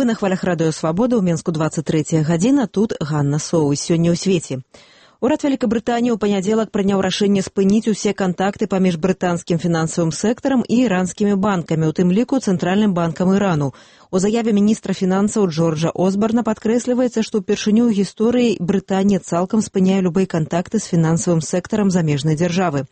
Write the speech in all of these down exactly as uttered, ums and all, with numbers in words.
Вы на хвалях радыё «Свабода», ў Менску двадцать третья гадзіна, тут Ганна Соус. Сёння ў свеце. Урад Вялікабрытаніі ў панядзелак прыняў рашэнне спыніць усе кантакты паміж брытанскім фінансавым сектарам і іранскімі банкамі, у тым ліку Цэнтральным банкам Ірану. У заяве міністра фінансаў Джорджа Осбарна падкрэсліваецца, што ўпершыню ў гісторыі Брытанія цалкам спыняе любыя кантакты з фінансавым сектарам замежнай дзяржавы.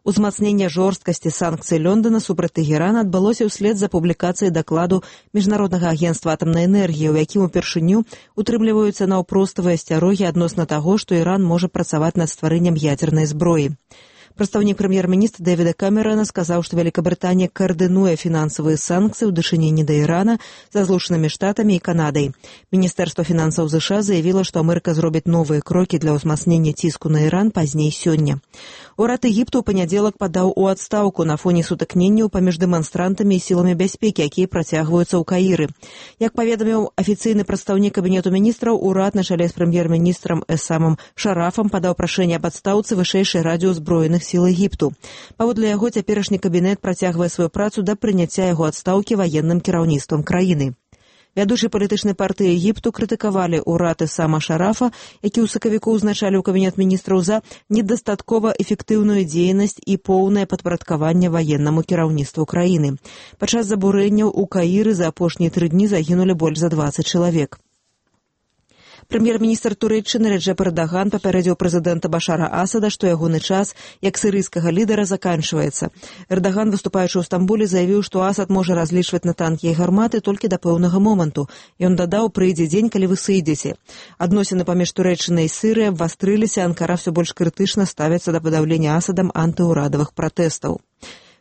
Узмацненне жорсткасці санкцый Лондона супраць Тэгерана адбылося ўслед за публікацыяй дакладу Міжнароднага агенцтва атамнай энергіі, у якім упершыню утрымліваюцца наўпроставыя асцярогі адносна таго, што Іран можа працаваць над стварэннем ядзернай зброі. Прадстаўнік прэм'ер-міністра Дэвіда Камерона сказаў, што Вялікабрытанія каардынуе фінансавыя санкцыі ў дачыненні да Ірана са Злучанымі Штатамі і Канадай. Міністэрства фінансаў ЗША заявіла, што Амерыка зробіць новыя крокі для ўзмацнення ціску на Іран пазней сёння. Урад Егіпту ў панядзелак падаў у адстаўку на фоне сутыкненняў паміж дэманстрантамі і сіламі бяспекі, якія працягваюцца ў Каіры. Як паведаміў афіцыйны прадстаўнік кабінету міністраў, урад на чале з прэм'ер-міністрам Эсамам Шарафам падаў прашэнне аб адстаўцы вышэйшай радзе ўзброеных сіл Егіпту. Паводле яго цяперашні кабінет працягвае сваю працу да прыняцця яго адстаўкі ваенным кіраўніцтвам краіны. Вядучыя палітычнай партыі Егіпту крытыкавалі ўрад Эсама Шарафа, які ў сакавіку ўзначаліў кабінет міністраў за недастаткова эфектыўную дзейнасць і поўнае падпарадкаванне ваеннаму кіраўніцтву краіны. Падчас забурэнняў у Каіры за апошнія тры дні загінулі больш за дваццаць чалавек. Прэм'ер-міністр Турэччыны Реджеп Эрдаган папярэдзіў прэзідэнта Башара Асада, што ягоны час як сірыйскага лідара заканчваецца. Эрдаган, выступаючы ў Стамбуле, заявіў, што Асад можа разлічваць на танкі і гарматы толькі да пэўнага моманту. Ён дадаў, прыйдзе дзень, калі вы сыйдзеце. Адносіны паміж Турэччынай і Сірыяй абвастрыліся, Анкара ўсё больш крытычна ставіцца да падаўлення Асадам антыўрадавых пратэстаў.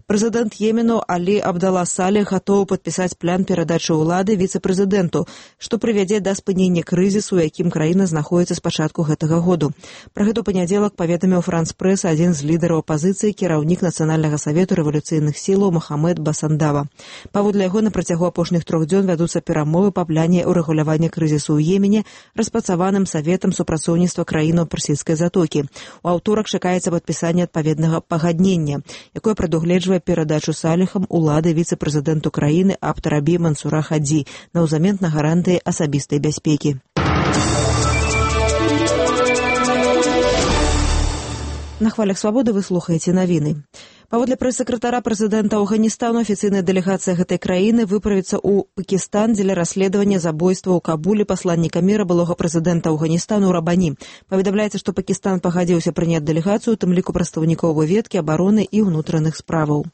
Прэзідэнт Йемену Алі Абдала Салех гатовы падпісаць план перадачы ўлады віцэ-прэзідэнту, што прывядзе да спынення крызісу, у якім краіна знаходзіцца з пачатку гэтага году. Пра гэта ў панядзелак паведаміў Франс-прэс адзін з лідараў апазіцыі, кіраўнік Нацыянальнага савету рэвалюцыйных сілаў Махамед Басандава. Паводле яго, на працягу апошніх трох дзён вядуцца перамовы па пляне ўрэгулявання крызісу ў Йемене, распрацаваным саветам супрацоўніцтва краінаў Персійскай затокі. У аўторак чакаецца падпісанне адпаведнага пагаднення, якое прадугледжвае перадачу Салехам улады віцэ-прэзідэнту краіны Абд-Рабі Мансура Хадзі наўзамен на гарантыі асабістай бяспекі. На хвалях «Свабоды» вы слухаеце навіны. Паводле прэс-сакратара прэзідэнта Афганістану, афіцыйная дэлегацыя гэтай краіны выправіцца ў Пакістан дзеля расследавання забойства ў Кабуле пасланніка міра былога прэзідэнта Афганістану Рабані. Паведамляецца, што Пакістан пагадзіўся прыняць дэлегацыю, у тым ліку прадстаўнікоў выведкі, абароны і ўнутраных справаў.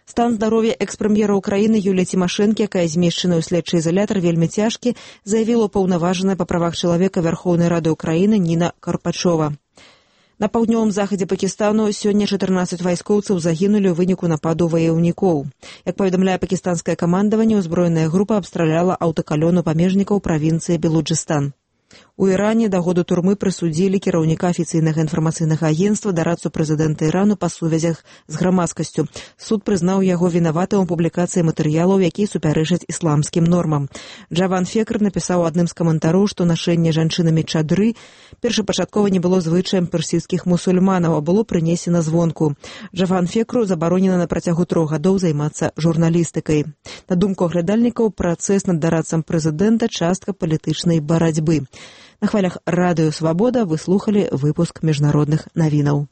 Стан здароўя экс-прэм'ера Украіны Юліі Цімашэнкі, якая змешчана ў следчы ізалятар, вельмі цяжкі, заявіла паўнаважаная па правах чалавека Вярхоўнай Рады Украіны Ніна Карпачова. На паўднёвым захадзе Пакістану сёння чатырнаццаць вайскоўцаў загінулі ў выніку нападу ваяўнікоў. Як паведамляе пакістанскае камандаванне, узброеная група абстраляла аўтакалону памежнікаў правінцыі Белуджыстан. У Іране да году турмы прысудзілі кіраўніка афіцыйнага інфармацыйнага агенцтва, дарадцу прэзідэнта Ірану па сувязях з грамадскасцю. Суд прызнаў яго вінаватым у публікацыі матэрыялаў, якія супярэчаць ісламскім нормам. Джаван Фекр напісаў адным з каментароў, што нашэнне жанчынамі чадры першапачаткова не было звычаем персійскіх мусульманаў, а было прынесена звонку. Джаван Фекру забаронена на працягу трох гадоў займацца журналістыкай. На думку аглядальнікаў, працэс над дарадцам прэзідэнта частка палітычнай барацьбы. На хвалях радыё «Свабода» вы слухалі выпуск міжнародных навінаў.